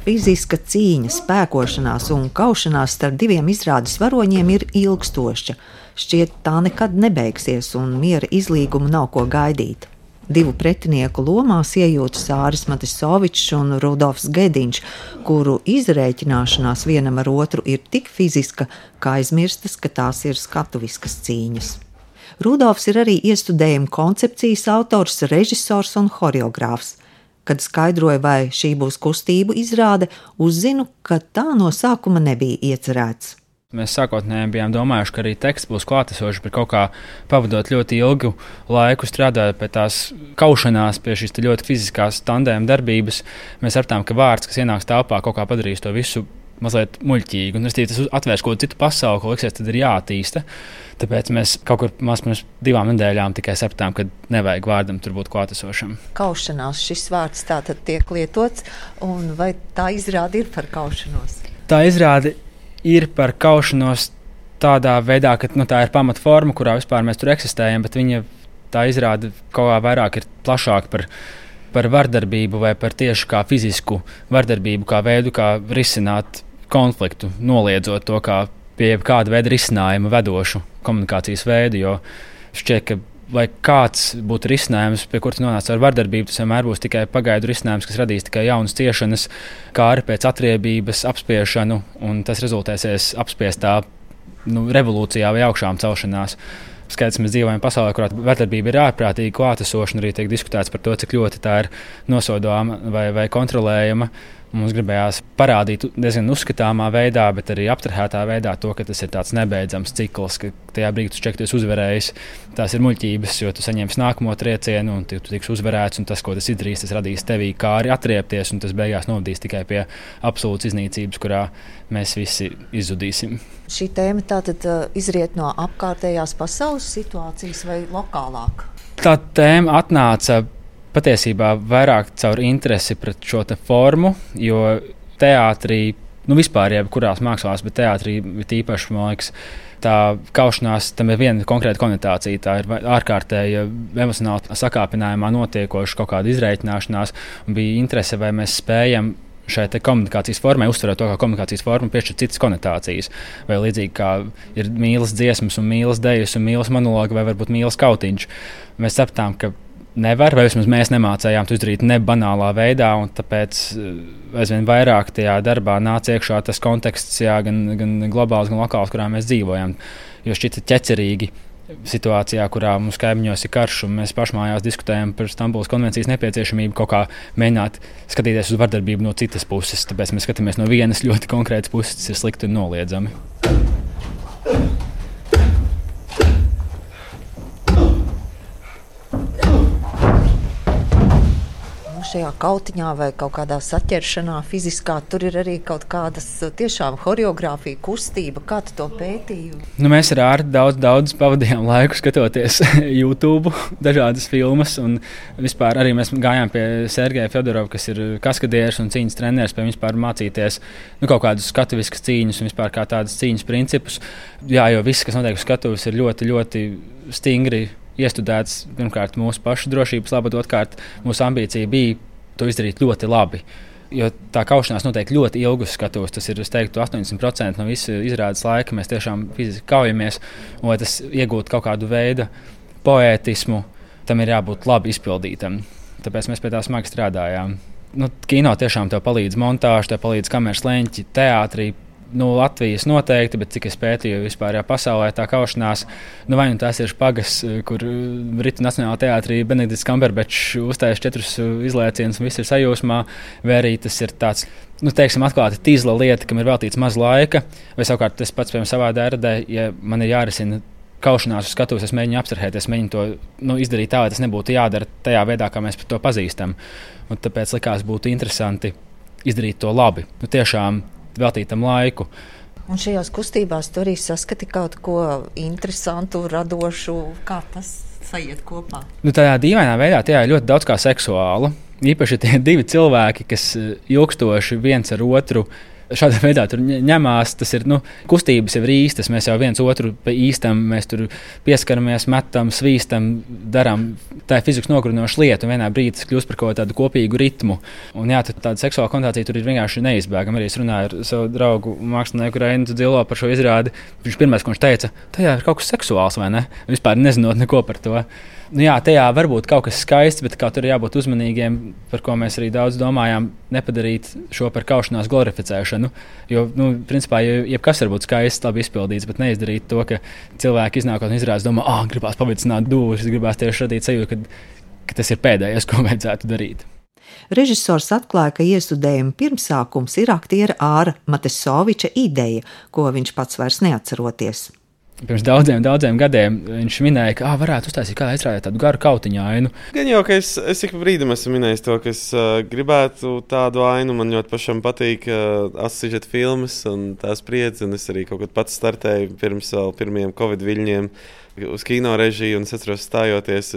Fiziska cīņa, spēkošanās un kaušanās starp diviem izrādes varoņiem ir ilgstoša. Šķiet, tā nekad nebeigsies un miera izlīgumu nav ko gaidīt. Divu pretinieku lomās iejūtas Āris Matisovičs un Rudolfs Gediņš, kuru izrēķināšanās vienam ar otru ir tik fiziska, ka aizmirstas, ka tās ir skatuviskas cīņas. Rudolfs ir arī iestudējuma koncepcijas autors, režisors un horeogrāfs. Kad skaidroju, vai šī būs kustību izrāde, uzzinu, ka tā no sākuma nebija iecerēts. Mēs sākotnēji bijām domājuši, ka arī teksts būs klātesošs, bet kaut kā pavadot ļoti ilgu laiku strādājot pie tās kaušanās, pie šīs ļoti fiziskās tandēma darbības, mēs sapratām, ka vārds, kas ienāks telpā, kaut kā padarīs to visu mazliet muļķīgi. Un tas atvērs kaut citu pasauli, ko liksies, tad ir jāattīsta. Tāpēc mēs kaut kur pirms 2 nedēļām tikai sapratām, ka nevajag vārdam tur būt klātesošam. Kaušanās šis vārds tātad tiek lietots, un vai tā izrāde ir par kaušanos? Tā izrāde ir par kaušanos tādā veidā, ka tā ir pamatforma, kurā vispār mēs tur eksistējam, bet tā izrāde kaut kā vairāk ir plašāk par vardarbību vai par tieši kā fizisku vardarbību, kā veidu, kā risināt konfliktu, noliedzot to kā pie kāda veida risinājuma vedošu komunikācijas veidu, jo šķiet, ka lai kāds būtu risinājums, pie kuras nonāca ar vardarbību, tas vienmēr būs tikai pagaidu risinājums, kas radīs tikai jaunas ciešanas, kā arī pēc atriebības, apspiešanu, un tas rezultēsies apspiestā revolūcijā vai augšām celšanās. Skaidrs, mēs dzīvojam pasaulē, kurā vardarbība ir ārprātīgi klātesoša, un arī tiek diskutēts par to, cik ļoti tā ir nosodāma vai kontrolējama. Mums gribējās parādīt diezgan uzskatāmā veidā, bet arī aptrahētā veidā to, ka tas ir tāds nebeidzams cikls, ka tajā brīdī tu šķiet, ka tu esi uzvarējis. Tās ir muļķības, jo tu saņemsi nākamo triecienu un tu tiks uzvarēts, un tas, ko tas izdarīs, tas radīs tevī kā arī atriepties, un tas beigās novadīs tikai pie absolūtas iznīcības, kurā mēs visi izzudīsim. Šī tēma tātad izriet no apkārtējās pasaules situācijas vai lokālāk? Tā tēma atnāca patiesībā vairāk caur interesi pret šo te formu, jo teātrī, vispār jebkurās mākslās, bet teātrī tīpaši, man liekas, tā kaušanās, tam ir viena konkrēta konotācija, tā ir ārkārtēja emocionāli sakāpinājumā notiekoša kaut kāda izreikināšanās, un bija interese, vai mēs spējam šai te komunikācijas formai uztverot to, kā komunikācijas forma piešķir citas konotācijas, vai līdzīgi kā ir mīlas dziesmas un mīlas dejas un mīlas monologi, vai varbūt mīlas kautiņš. Mēs sapratām, ka nevar, vai vismaz mēs nemācējām to izdarīt nebanālā veidā, un tāpēc aizvien vairāk tajā darbā nāca iekšā tas konteksts, gan globāls, gan lokāls, kurā mēs dzīvojam. Jo šķita ķecerīgi situācijā, kurā mums kaimiņos ir karš, un mēs pašmājās diskutējam par Stambulas konvencijas nepieciešamību kaut kā mēģināt skatīties uz vardarbību no citas puses. Tāpēc mēs skatāmies no vienas ļoti konkrētas puses, tas ir slikti un noliedzami. Šajā kautiņā vai kaut kādā saķeršanā fiziskā, tur ir arī kaut kādas tiešām horeogrāfija, kustība. Kā tu to pētīji? Mēs ar Ārti daudz pavadījām laiku skatoties YouTube, dažādas filmas, un vispār arī mēs gājām pie Sergeja Fjodorova, kas ir kaskadieris un cīņas treneris, pie vispār mācīties kaut kādus skatuviskas cīņas un vispār kā tādas cīņas principus. Jā, jo viss, kas notiek uz skatuves, ir ļoti, ļoti stingri iestudēts, pirmkārt, mūsu pašu drošības labad, otrkārt, mūsu ambīcija bija to izdarīt ļoti labi. Jo tā kaušanās notiek ļoti ilgus skatuves. Tas ir, es teiktu, 80% no visu izrādes laika. Mēs tiešām fiziski kaujamies, un lai tas iegūtu kaut kādu veidu poētismu, tam ir jābūt labi izpildītam. Tāpēc mēs pie tā smagi strādājām. Kino tiešām tev palīdz montāža, tev palīdz kameras leņķi, teātrī. Latvijas noteikti, bet cik es pētīju vispār pasaulē tā kaušanās, vai tās ir špagas, kur Britu Nacionālajā teātrī Benedikts Kamberbeč uzstājas 4 izlēcienus un viss ir sajūsmā, vai arī tas ir tāds, atklāta tīzla lieta, kam ir veltīts maz laika, vai savukārt tas pats, piemēram, savā dērdē, ja man ir jārisina kaušanās uz skatuves, es mēģinu apstrahēties, mēģinu to izdarīt tā, lai tas nebūtu jādara tajā veidā, kā mēs to pazīstam. Un tāpēc likās būtu interesanti izdarīt to labi. Tiešām veltītam laiku. Un šajās kustībās tu arī saskati kaut ko interesantu, radošu, kā tas sajiet kopā? Tādā dīvainā veidā tajā ir ļoti daudz kā seksuāla. Īpaši tie 2 cilvēki, kas ilgstoši viens ar otru šādā veidā tur ņemās. Tas ir, kustības jau ir īstas, mēs jau viens otru pa īstam, mēs tur pieskaramies, metam, svīstam, darām. Tā ir fizikas nogurinoša lieta, un vienā brīdī tas kļūst par kaut tādu kopīgu ritmu. Un jā, tāda seksuāla konnotācija tur ir vienkārši neizbēgama. Arī es runāju ar savu draugu mākslinieku Reinu Dzilo par šo izrādi. Viņš pirmais, ko viņš teica, tajā ir kaut kas seksuāls, vai ne? Vispār nezinot neko par to. Jā, tajā var būt kaut kas skaists, bet kā tur ir jābūt uzmanīgiem, par ko mēs arī daudz domājām, nepadarīt šo par kaušanās glorificēšanu. Jo, principā, jebkas var būt skaists, labi izpildīts, bet neizdarīt to, ka cilvēki iznākot un izrādās domā, gribās pavicināt dūšas, gribās tieši radīt sajūtu, ka tas ir pēdējais, ko vajadzētu darīt. Režisors atklāja, ka iestudējuma pirmsākums ir aktiera Āra Matesoviča ideja, ko viņš pats vairs neatceroties. Pirms daudziem gadiem viņš minēja, ka varētu uztaisīt kādā izrādē tādu garu kautiņu ainu. Gan jau, ka es ik pa brīdim esmu minējis to, ka es gribētu tādu ainu. Man ļoti pašam patīk asociēta filmas un tās spriedzi, un es arī kaut kad pats startēju pirms vēl pirmajiem Covid viļņiem uz kino režiju, un es atceros stājoties,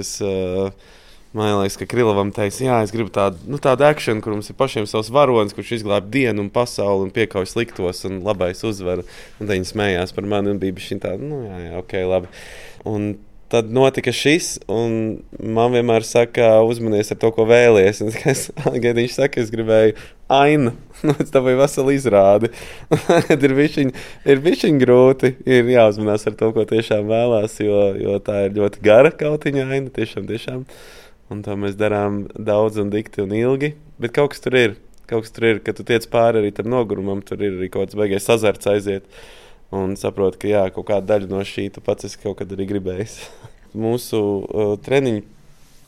man liekas, ka Krilovam teica, jā, es gribu tādu akšanu, kur mums ir pašiem savs varonis, kurš izglāb dienu un pasauli un piekauj sliktos un labais uzvar. Un tad viņi smējās par mani un bija bišķiņ tāda, jā, ok, labi. Un tad notika šis, un man vienmēr saka, uzmanies ar to, ko vēlies. Un viņš saka, es gribēju ainu. Tā bija vesela izrāde. ir bišķiņ grūti, ir jāuzmanās ar to, ko tiešām vēlās, jo tā ir ļoti gara kautiņa aina, tiešām. Un to mēs darām daudz un dikti un ilgi. Bet kaut kas tur ir, kad tu tiec pāri arī tam nogurumam, tur ir arī kaut kāds baigais azarts aiziet. Un saproti, ka jā, kaut kāda daļa no šī tu pats esi kaut kad arī gribējis. Mūsu treniņu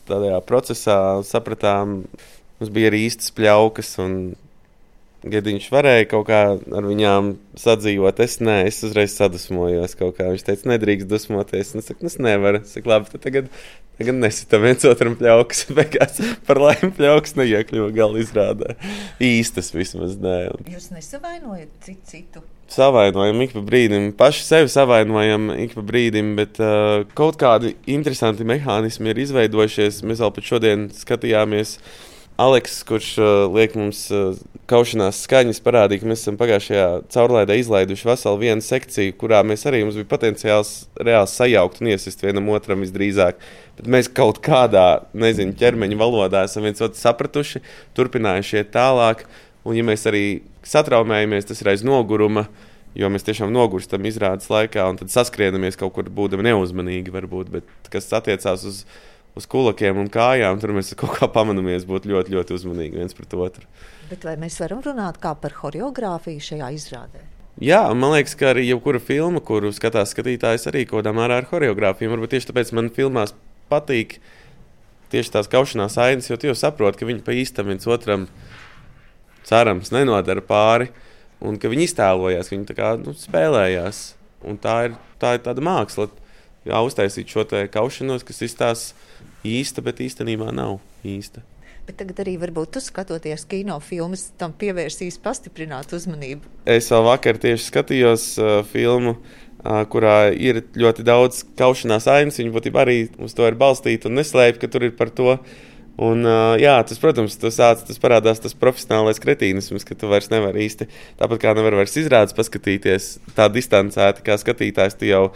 tādā procesā sapratām, mums bija arī īstas pļaukas, un Gediņš varēja kaut kā ar viņām sadzīvot. Es uzreiz sadusmojos kaut kā. Viņš teica, nedrīkst dusmoties. Es saku, es nevaru. Es saku, labi, tad tagad nesitam viens otram pļaukas. Beigās par laimi pļaukas neiekļuva gala izrādē. Īstas vismaz, nē. Jūs nesavainojat citu? Savainojam ik pa brīdim. Paši sevi savainojam ik pa brīdim, bet kaut kādi interesanti mehānismi ir izveidojušies. Mēs vēl pat šodien skatījāmies Aleks, kurš liek mums kaušanās skaņas, parādīja, ka mēs esam pagājušajā caurlaidē izlaiduši veselu vienu sekciju, kurā mums bija potenciāls reāli sajaukt un iesist vienam otram visdrīzāk. Bet mēs kaut kādā, ķermeņa valodā esam viens otru sapratuši, turpinājuši iet tālāk. Un ja mēs arī satraumējamies, tas ir aiz noguruma, jo mēs tiešām nogurstam izrādes laikā un tad saskrienamies kaut kur būdami neuzmanīgi varbūt, bet kas attiecās uz kulakiem un kājām, tur mēs kaut kā pamanamies būt ļoti, ļoti uzmanīgi viens pret otru. Bet vai mēs varam runāt kā par choreogrāfiju šajā izrādē? Jā, man liekas, ka arī jebkura filma, kuru skatās skatītājs, arī kaut kādā mērā ar choreogrāfiju. Varbūt tieši tāpēc man filmās patīk tieši tās kaušanās ainas, jo tu jau saproti, ka viņi pa īstam viens otram cerams nenodara pāri un ka viņi iztēlojās, ka viņi tā kā spēlējās. Un tā ir tāda māksla. Jā, uztaisīt šo te kaušanos, kas izstāsta īsta, bet īstenībā nav īsta. Bet tagad arī varbūt tu skatoties kino filmas, tam pievērsīs pastiprināt uzmanību. Es vēl vakar tieši skatījos filmu, kurā ir ļoti daudz kaušanās ainas. Viņa būtībā arī uz to ir balstīta un neslēpj, ka tur ir par to. Un, jā, tas, protams, tas parādās tas profesionālais kretīnisms, ka tu vairs nevari īsti, tāpat kā nevar vairs izrādes paskatīties tā distancēti, kā skatītājs, tu jau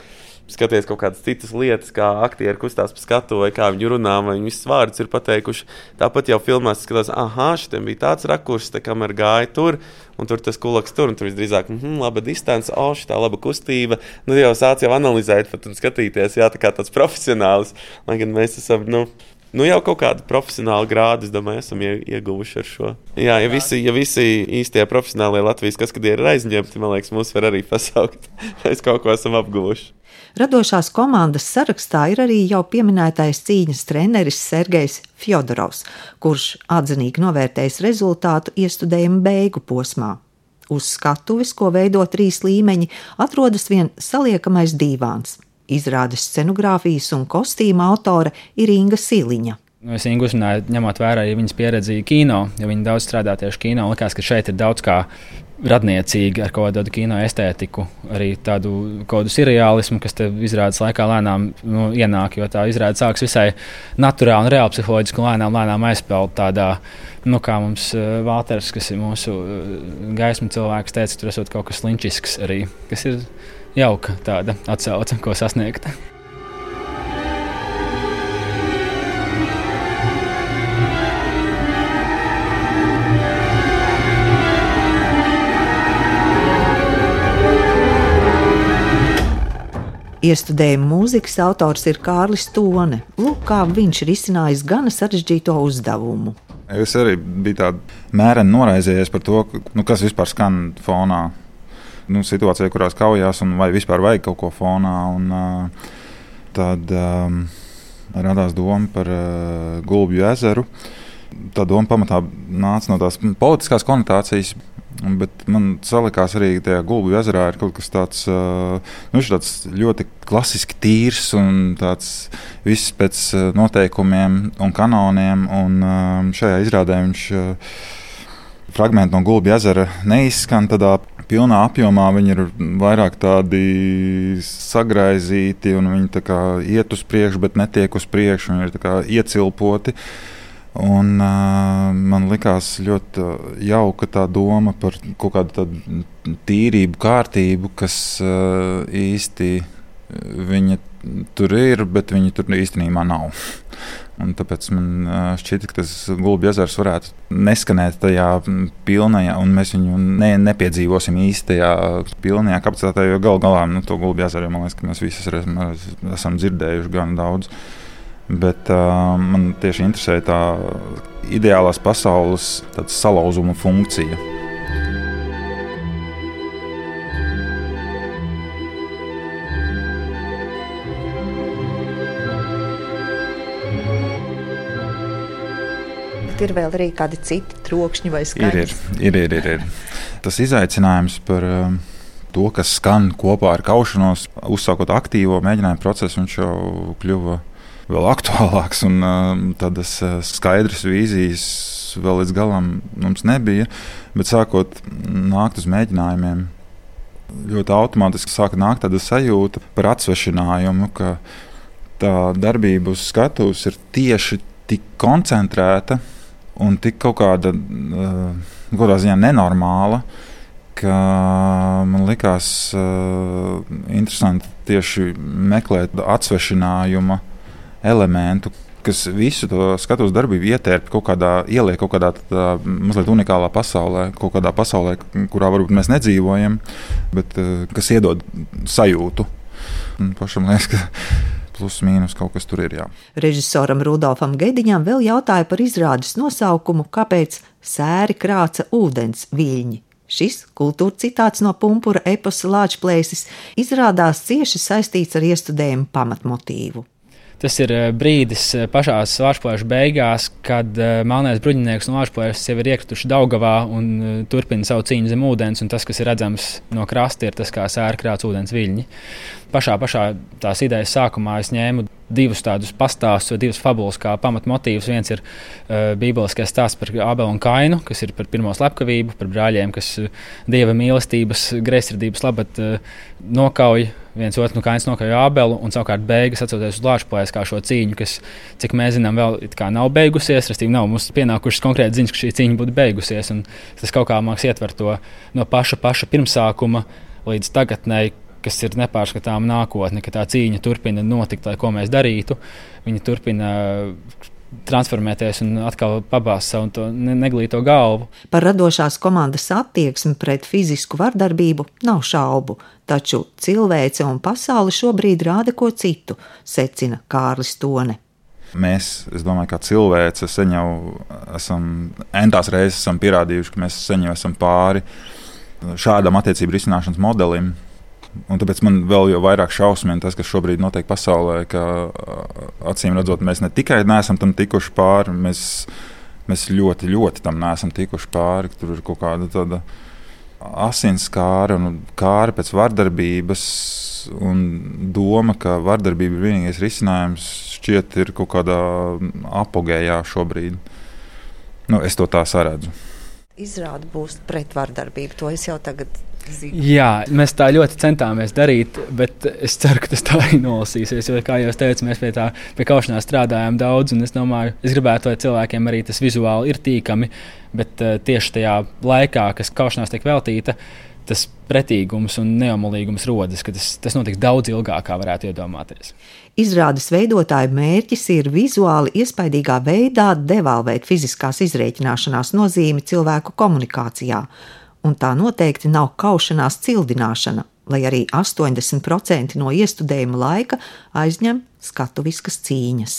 skaties kaut kādas citas lietas, kā aktieri kustās pa skatu, vai kā viņi runā, vai viņi visas vārdus ir pateikuši. Tāpat jau filmās skatās, šitiem bija tāds rakurs, tā kamera gāja tur, un tur tas kulaks tur, un tur visdrīzāk, laba distance, šitā laba kustība. Jau sāc jau analizēt, pat un skatīties, jā, tā kā tāds profesionāls, lai gan mēs esam, jau kaut kādu profesionālu grādu, es domāju, esam ieguvuši ar šo. Jā, ja visi īstie profesionālie Latvijas kaskadieri ir aizņemti, man liekas, mūs var arī pasaukt. Mēs kaut ko esam apguvuši. Radošās komandas sarakstā ir arī jau pieminētais cīņas treneris Sergejs Fjodorovs, kurš atzinīgi novērtējis rezultātu iestudējuma beigu posmā. Uz skatuves, ko veido 3 līmeņi, atrodas vien saliekamais dīvāns. Izrādes scenogrāfijas un kostīma autore ir Inga Siliņa. Es viņu uzrunāju, ņemot vērā arī viņas pieredzi kino, jo viņi daudz strādā tieši kino. Likās, ka šeit ir daudz kā radniecīgi ar kaut kādu kino estētiku, arī tādu kaut kādu seriālismu, kas te izrādes laikā lēnām ienāk, jo tā izrāde sāks visai naturāli un reāli psiholoģiski un lēnām aizpeld tādā, kā mums Valters, kas ir mūsu gaismu cilvēks, teica, tur esot kaut kas linčisks arī, kas ir jauka tāda atsauce, ko sasniegt. Iestudējuma mūzikas autors ir Kārlis Tone. Lūk, kā viņš ir izcinājis gana sarežģīto uzdevumu. Es arī biju tāda mēreni noraizējies par to, kas vispār skan fonā. Situācija, kurās kaujās, un vai vispār vajag kaut ko fonā. Tad radās doma par Gulbju ezeru. Tā doma pamatā nāca no tās politiskās konotācijas. Bet man salikās arī, ka tajā Gulbju ezerā ir kaut kas tāds, tāds ļoti klasiski tīrs un tāds viss pēc noteikumiem un kanoniem. Un šajā izrādē viņš fragmenti no Gulbju ezera neizskan tādā pilnā apjomā. Viņi ir vairāk tādi sagraizīti un viņi tā kā iet uz priekšu, bet netiek uz priekšu. Viņi ir tā kā iecilpoti. Un, man likās ļoti jauka tā doma par kaut kādu tādu tīrību, kārtību, kas īsti viņa tur ir, bet viņa tur īstenībā nav. Un tāpēc man šķita, ka tas Gulbju ezers varētu neskanēt tajā pilnajā, un mēs viņu nepiedzīvosim īstajā pilnajā kapacitātē, jo galu galā to Gulbju ezeru, man liekas, ka mēs visi esam dzirdējuši gan daudz. Bet man tieši interesē tā ideālās pasaules salauzuma funkcija. Bet ir vēl arī kādi citi trokšņi vai skaņas? Ir. Tas izaicinājums par to, kas skan kopā ar kaušanos, uzsākot aktīvo mēģinājumu procesu, viņš jau kļuva vēl aktuālāks, un tādas skaidras vīzijas vēl līdz galam mums nebija, bet sākot nākt uz mēģinājumiem, ļoti automātiski sāka nākt tāda sajūta par atsvešinājumu, ka tā darbība uz skatuves ir tieši tik koncentrēta un tik kaut kādā ziņā nenormāla, ka man likās interesanti tieši meklēt atsvešinājuma elementu, kas visu to skatuves darbību ieliek kaut kādā mazliet unikālā pasaulē, kaut kādā pasaulē, kurā varbūt mēs nedzīvojam, bet kas iedod sajūtu. Un pašam liekas, ka plus mīnus kaut kas tur ir, jā. Režisoram Rudolfam Gediņam vēl jautāja par izrādes nosaukumu, kāpēc sēri krāca ūdens viļņi. Šis kultūra citāts no Pumpura eposa Lāčplēsis izrādās cieši saistīts ar iestudējumu pamatmotīvu. Tas ir brīdis pašās Lāčplēša beigās, kad melnais bruņinieks un Lāčplēšas jau ir iekrituši Daugavā un turpina savu cīņu zem ūdens, un tas, kas ir redzams no krasta, ir tas, kā sēri krāc ūdens viļņi. Pašā tās idejas sākumā es ņēmu divus tādus pastāstus vai divas fabulas kā pamatmotīvus. Viens ir bībeliskais stāsts par Ābelu un Kainu, kas ir par pirmo slepkavību, par brāļiem, kas dieva mīlestības, greizsirdības labad nokauj viens otru, Kains nokauj Ābelu, un savukārt beigas atcaucoties uz Lāčplēsi kā šo cīņu, kas, cik mēs zinām, vēl it kā nav beigusies, respektīvi nav mums pienākušas konkrēti ziņas, ka šī cīņa būtu beigusies, un tas kaut kā māks ietver to no paša pirmsākuma līdz tagadnei, kas ir nepārskatāma nākotne, ka tā cīņa turpina notikt, lai ko mēs darītu. Viņa turpina transformēties un atkal pabāzt savu to neglīto galvu. Par radošās komandas attieksmi pret fizisku vardarbību nav šaubu, taču cilvēce un pasaule šobrīd rāda ko citu, secina Kārlis Tone. Mēs, es domāju, kā cilvēce sen jau esam entās reizes esam pierādījuši, ka mēs sen jau esam pāri šādam attiecību risināšanas modelim. Un tāpēc man vēl jau vairāk šausmina tas, kas šobrīd notiek pasaulē, ka acīm redzot, mēs ne tikai neesam tam tikuši pāri, mēs ļoti, ļoti tam neesam tikuši pāri. Tur ir kaut kāda tāda asinskāra un kāra pēc vardarbības un doma, ka vardarbība ir vienīgais risinājums, šķiet ir kaut kādā apogējā šobrīd. Es to tā saredzu. Izrāda būs pret vardarbību, to es jau tagad zinu. Jā, mēs tā ļoti centāmies darīt, bet es ceru, ka tas tā arī nolasīsies. Jo, kā jau teicu, mēs pie kaušanās strādājām daudz, un es domāju, es gribētu, lai cilvēkiem arī tas vizuāli ir tīkami, bet tieši tajā laikā, kas kaušanās tiek veltīta, tas pretīgums un neomolīgums rodas, ka tas notiks daudz ilgāk, kā varētu iedomāties. Izrādes veidotāju mērķis ir vizuāli iespaidīgā veidā devalvēt fiziskās izrēķināšanās nozīmi cilvēku komunikācijā, un tā noteikti nav kaušanās cildināšana, lai arī 80% no iestudējuma laika aizņem skatuviskas cīņas.